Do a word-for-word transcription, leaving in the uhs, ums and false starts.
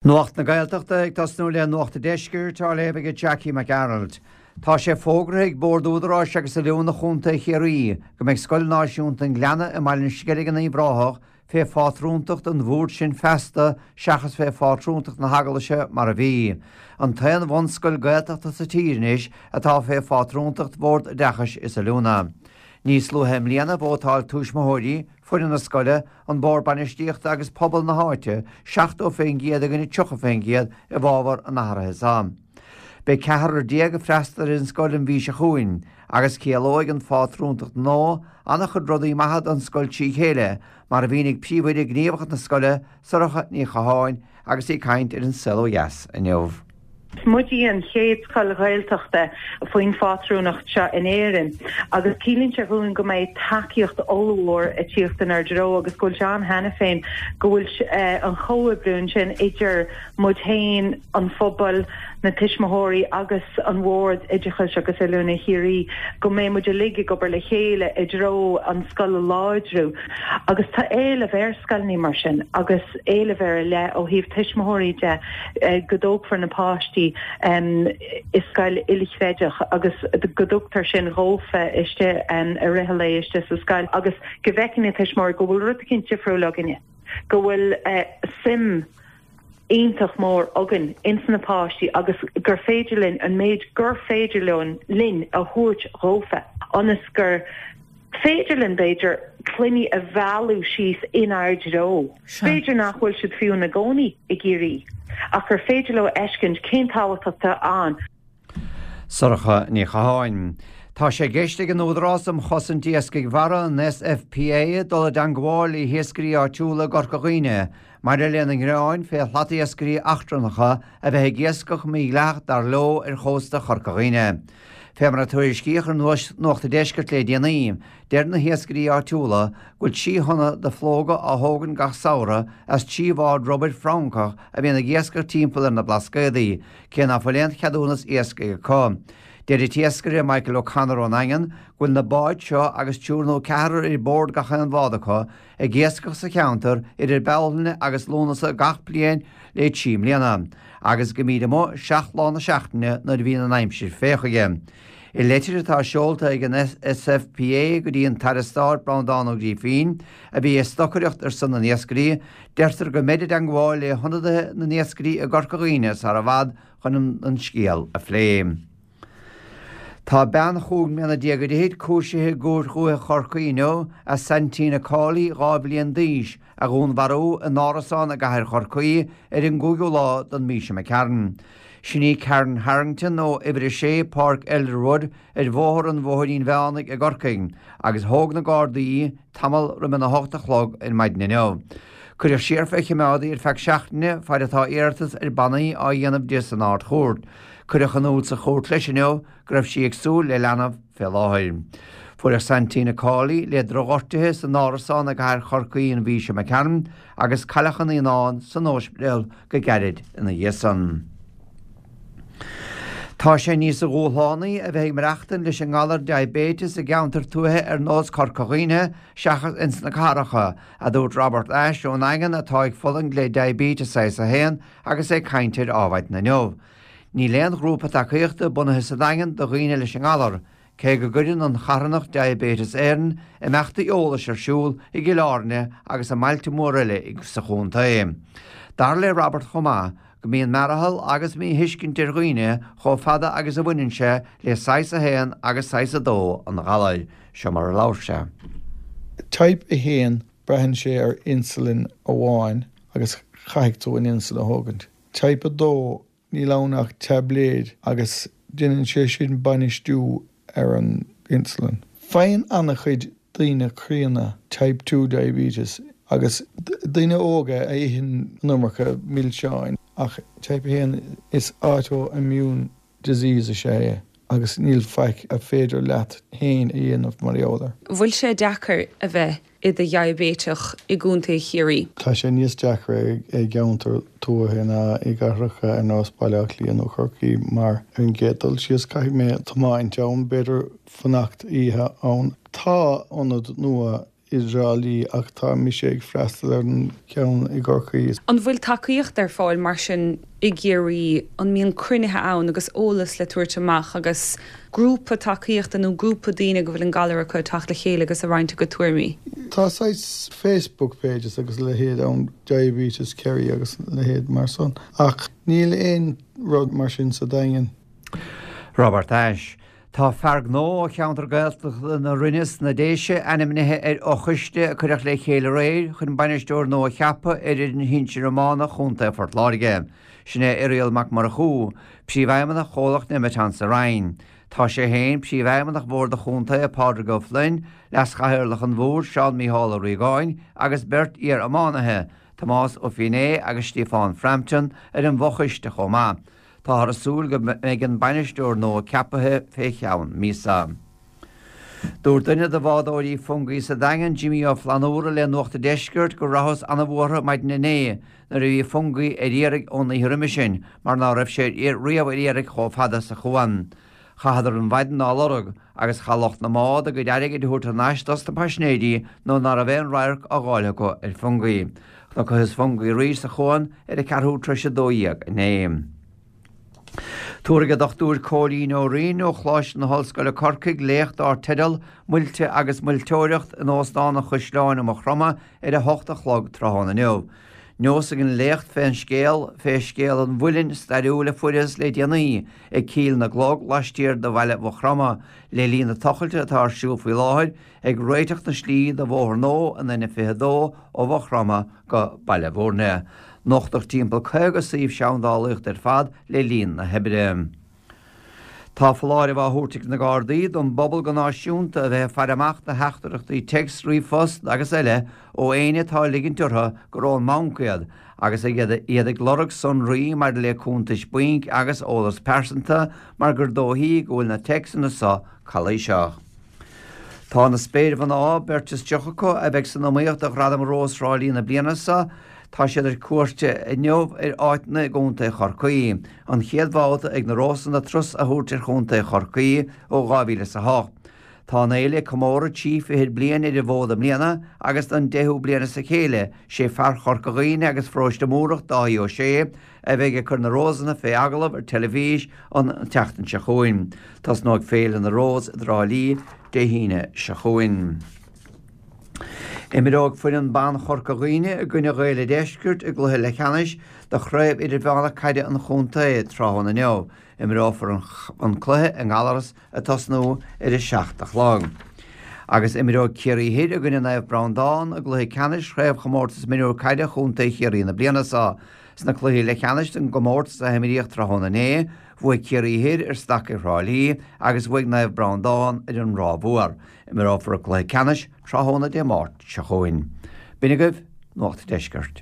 Nuacht na Gaeltachta ag tosnú le Nuacht an Deiscirt á léamh ag Jackie Mac Gearailt. Tá sé fógartha ag Bord Údaráis agus Oiliúna Chontae Chiarraí go mbeidh Scoil Náisiúnta an Ghleanna i mBaile an Sceilg in Uíbh Ráthach fé phátrúntacht an bhoird sin feasta seachas fé phátrúntacht na hEaglaise mar a bhí. An t-aon bhunscoil Gaeltachta sa tír anois atá fé phátrúntacht Bhord Oideachais is Oiliúna. Níos luaithe i mbliana vótáil tuismitheoirí, foireann na scoile, an bord bainistíochta agus pobal na háite seachtó faoin gcéad i gcoinne tríocha faoin gcéad i bhfabhar an athraithe seo. Beidh ceathrar déag ag freastal ar an scoil an mhí seo chugainn agus ciallóidh an phátrúntacht nua an-chuid rudaí maithe don scoil trí chéile, mar a mhínigh príomhoide gníomhach na scoile, Sorcha Ní Chatháin, agus í ag caint ar An Saol Ó Dheas inniu. Is muid í an chéad scoil Ghaeltachta faoin phátrúnacht seo in Éirinn agus ciallaíonn sé dhúinn go mbeidh tacaíocht ollmhór ag tíocht inár dtreo agus go bhfuil sé ann cheana féin go bhfuil an chomhoibriú ansin idir muid féin, an phobal, na tuismitheoirí agus an Bhord Oideachais agus Oiliúna Chiarraí go mbeidh muid uilig ag obair le chéile i dtreo an scoil a láidriú agus tá éileamh ar scoileanna mar sin agus éileamh ar leith ó thaobh tuismitheoirí de go dtógfar na páistí i scoil ilchreidmheach agus go dtugtar sin dhófa istigh i rith an lae istigh sa scoil agus go bhfeiceann na tuismitheoirí go bhfuil rud eicínt difriúil againne, go bhfuil suim iontach mór againn ins na páistí agus gur féidir linn an méid gur féidir linn a thabhairt dhófa ionas gur féidir linn, b'fhéidir, clainní a mhealladh síos inár dtreo. B'fhéidir nach bhfuil siad fiú ina gcónaí i gCiarraí, ach gur féidir leo a fheiscint cén tábhacht atá ann. Sorcha Ní Chatháin. Tá sé i gceist ag an Údarás um Chosaint Iascaigh Mhara, an SFPA, dul i dteangmháil le hiascairí áitiúla i gCorca Dhuibhne maidir lena ngearáin fé shlatiascairí eachtrannacha a bheith ag iascach mídhleathach dar leo ar chósta Chorca Dhuibhne. Fé mar a tuairiscíodh ar Nuacht an Deiscirt le déanaí, deir na hiascairí áitiúla go bhfuil trí thonna de phlóga á thógaint gach samhradh as trí bhád rubair Francach a bhíonn ag iascach timpeall ar na Blascaodaí, cé ná fuil aon cheadúnas iascaigh acu. Deir an t-iascaire Michael O'Connor ón nDaingean go bhfuil na báid seo agus triúr nó ceathrar ar bord gach aon bhád acu ag iascach sa cheantar idir Bealtaine agus Lúnasa gach bliain le trí mbliana agus go mbíd amuigh seacht lá na seachtaine nuair a bhíonn an aimsir fé chuige. I leitir atá seolta ag an SFPA go dtí an tAire Stáit Breandán Ó Grífín, a bhí ag stocaireacht ar son na n-iascairí, deirtear go mbeid i dteangmháil le hionadaithe na n-iascairí i gCorca Dhuibhne sara i bhfad chun an scéal a phlé. Tá bean chúig mbliana déag go fhichid cúisithe i gCúirt Dhúiche Chorcaí inniu as Santina Cawley, dhá bhliain d'aois, a dhúnmharú in árasán i gcathair Chorcaí ar an gcúigiú lá den mhí seo imigh tharainn. Sin í Karen Harrington ó uimhir a sé, Páirc Elderwood, ar Bhóthar an Bhóithrín Mheánaigh i gCorcaigh, agus thóg na Gardaí í tamall roimh an a hocht a chlog ar maidin inniu. Cuireadh siar fé choimeád í ar feadh seachtaine faid atá iarratas ar bannaí á dhéanamh di san Ard-Chúirt. Cuireadh in iúl sa chúirt leis inniu go raibh sí ag súil le leanbh fé láthair. Fuaireadh Santina Cawley le drochghortuithe san árasán i gcathair Chorcaí an mhí seo imigh tharainn agus cailleadh a naíonán san óispidéal go gairid ina dhiaidh san. Tá sé níos dhúshlánaí a bheith ag maireachtaint leis an ngalar diaibéiteas i gceantar tuaithe ar nós Corca Dhuibhne seachas ins na cathracha, a dúirt Robert Ashe ón nDaingean atá ag fulaingt le diaibéiteas saghas a haon agus é ag caint ar Adhmhaidin inniu. Níl aon ghrúpa tacaíochta bunaithe sa Daingean do dhaoine leis an ngalar, cé go gcuireann an charthanacht Diabetes Éireann imeachtaí eolais ar siúl i gCill Airne agus i mbailte móra eile sa chontae. Dar le Robert chomh maith go mbíonn mearathal agus míthuiscint ar dhaoine chomh fada agus a bhaineann sé le saghas a haon agus saghas a dó an ghalair. Seo mar a labhair sé. Type a haon, braitheann sé ar insulin amháin agus caithfidh tú an insulin a thógaint. Type a dó, níl ann ach taibléid agus déanann sé sin bainistiú ar an insulin. Faigheann an-chuid daoine críonna type two diabetes agus daoine óga a itheann an iomarca milseáin ach type a haon is autoimmune disease is ea é agus níl faic a féidir leat féin a dhéanamh mar gheall air. Bhfuil sé deacair a bheith i do dhiaibéiteach i gContae Chiarraí? Tá sé níos deacra i gceantar tuaithe ná i gcathracha ar nós Baile Átha Cliath nó Corcaigh mar ar an gcéad dul síos caithfidh mé tiomáint ann, b'fhéidir fanacht oíche ann. Tá ionad nua i dTrá Lí ach tá mise ag freastal ar an ceann i gCorcaigh. An bhfuil tacaíocht ar fáil mar sin i gCiarraí, an mbíonn cruinnithe ann agus eolas le tabhairt amach agus grúpa tacaíochta nó grúpa daoine go bhfuil an galar acu teacht le chéile agus a roinnt a gcuid tuairimí? Tá saghas Facebook pages agus a leithéid ann Diabetes Kerry agus a leithéid mar san ach níl aon rud mar sin sa Daingean. Robert Ashe. Tá fear gnó ó cheantar Gaeltachta na Rinne sna Déise ainmnithe ar fhochoiste a cuireadh le chéile aréir chun bainisteoir nua a cheapadh ar fhoireann shinsir iomána Chontae Phort Láirge. Sin é Irial Mac Murchú, príomhfheidhmeannach chomhlacht Nemeton sa Rinn. Tá sé féin, príomhfheidhmeannach Bhord an Chontae, Pádraig Ó Floinn, Leas-Chathaoirleach an Bhoird, Seán Mícheál Ó Riagáin agus beirt iar-iománaithe, Tomás Ó Finné agus Stiofán Frampton, ar an bhfochoiste chomh maith. Táthar ag súil go mbeidh an bainisteoir nua ceaptha fé cheann míosa. Dúirt duine de bhádóirí Fungie sa Daingean, Jimmy Ó Flannúra le Nuacht an Deiscirt go rabhthas an-bhuartha maidin inné nuair a bhí Fungie ar iarraidh ón oíche roimhe sin mar ná raibh sé riamh ar iarraidh chomh fada sa chuan. Chaitheadar an mhaidin á lorg agus chaith lucht na mbád a gcuid airgid a thabhairt thar n-ais dos na paisinéirí nó ná raibh aon radharc á dh'fháil acu ar Fungie. Chonacthas Fungie arís sa chuan ar a ceathrú tar éis a dó dhéag inné. Tabharfaidh an Dochtúir Cóilín Ó Rinn ó Choláiste na hOllscoile Corcaigh léacht dar teideal Muilte agus Muilteoireacht in Óstán an Chaisleáin i Maigh Chromtha ar a hocht a chlog tráthnóna inniu. Neosfaidh an léacht fén scéal fé scéal an mhuilinn stairiúil a fuarthas le déanaí ag Cill na gClog laistiar de bhaile Mhaigh Chromtha le linn na tochailte atá ar siúl faoi láthair ag réiteach na slí do bhóthar nua an N fiche dó ó Mhaigh Chromtha go Baile Bhúirne. Nochtadh timpeall caoga suíomh seandálaíochta ar fad le linn na hoibre. Tá foláireamh á thabhairt ag na Gardaí don bpobal go náisiúnta a bheith ag faire amach do theachtaireachtaí téacs, ríomhphost agus eile ó éinne atá ag ligint orthu gur ón mbanc iad agus iad ag lorg sonraí maidir le cuntais bainc agus eolas pearsanta mar gur dóichí go bhfuil na téacsanna seo calaoiseach. Tá na spéirmhná, beirt is tríocha acu, a bheidh san iomaíocht do Ghradam Rós Thrá Lí na bliana seo, tá siad ar cuairt inniu ar áiteanna i gContae Chorcaí, an chéad bhabhta ag na Rósanna turas a thabhairt ar Chontae Chorcaí ó dhá mhíle is a hocht. Tá an fhéile ag comóradh trí fichid bliain ar an bhfód i mbliana agus don deichiú bliain as a chéile, sé fear Chorca Dhuibhne agus Pharóiste Múrach, Dáithí Ó Sé, a bheidh ag cur na Rósanna fé agallamh ar teilifís an tseachtain seo chugainn. Tosnóidh Féile na Rós i dTrá Lí Dé hAoine seo chugainn. Imreoidh foireann ban Chorca Dhuibhne i gcoinne Ghaeil an Deiscirt i gcluiche leathcheannais de Chraobh Idirmheánach Caide an Chontae tráthnóna inniu. Imreofar an cluiche i nGallaras ag tosnú ar a seacht a chlog. Agus imreoidh Ciarraí Thoir i gcoinne Naomh Breandán i gcluiche ceannais Chraobhchomórtas Mionúr Caide Chontae Chiarraí na bliana seo. Sna cluichí leathcheannais den gcomórtas a himríodh tráthnóna inné, bhuaigh Ciarraí Thoir ar Stacaigh Thrá Lí agus bhuaigh Naomh Breandán ar an Ráth Mhór. Imreofar an cluiche ceannais tráthnóna Dé Máirt seo chugainn. B'in agaibh Nuacht an Deiscirt.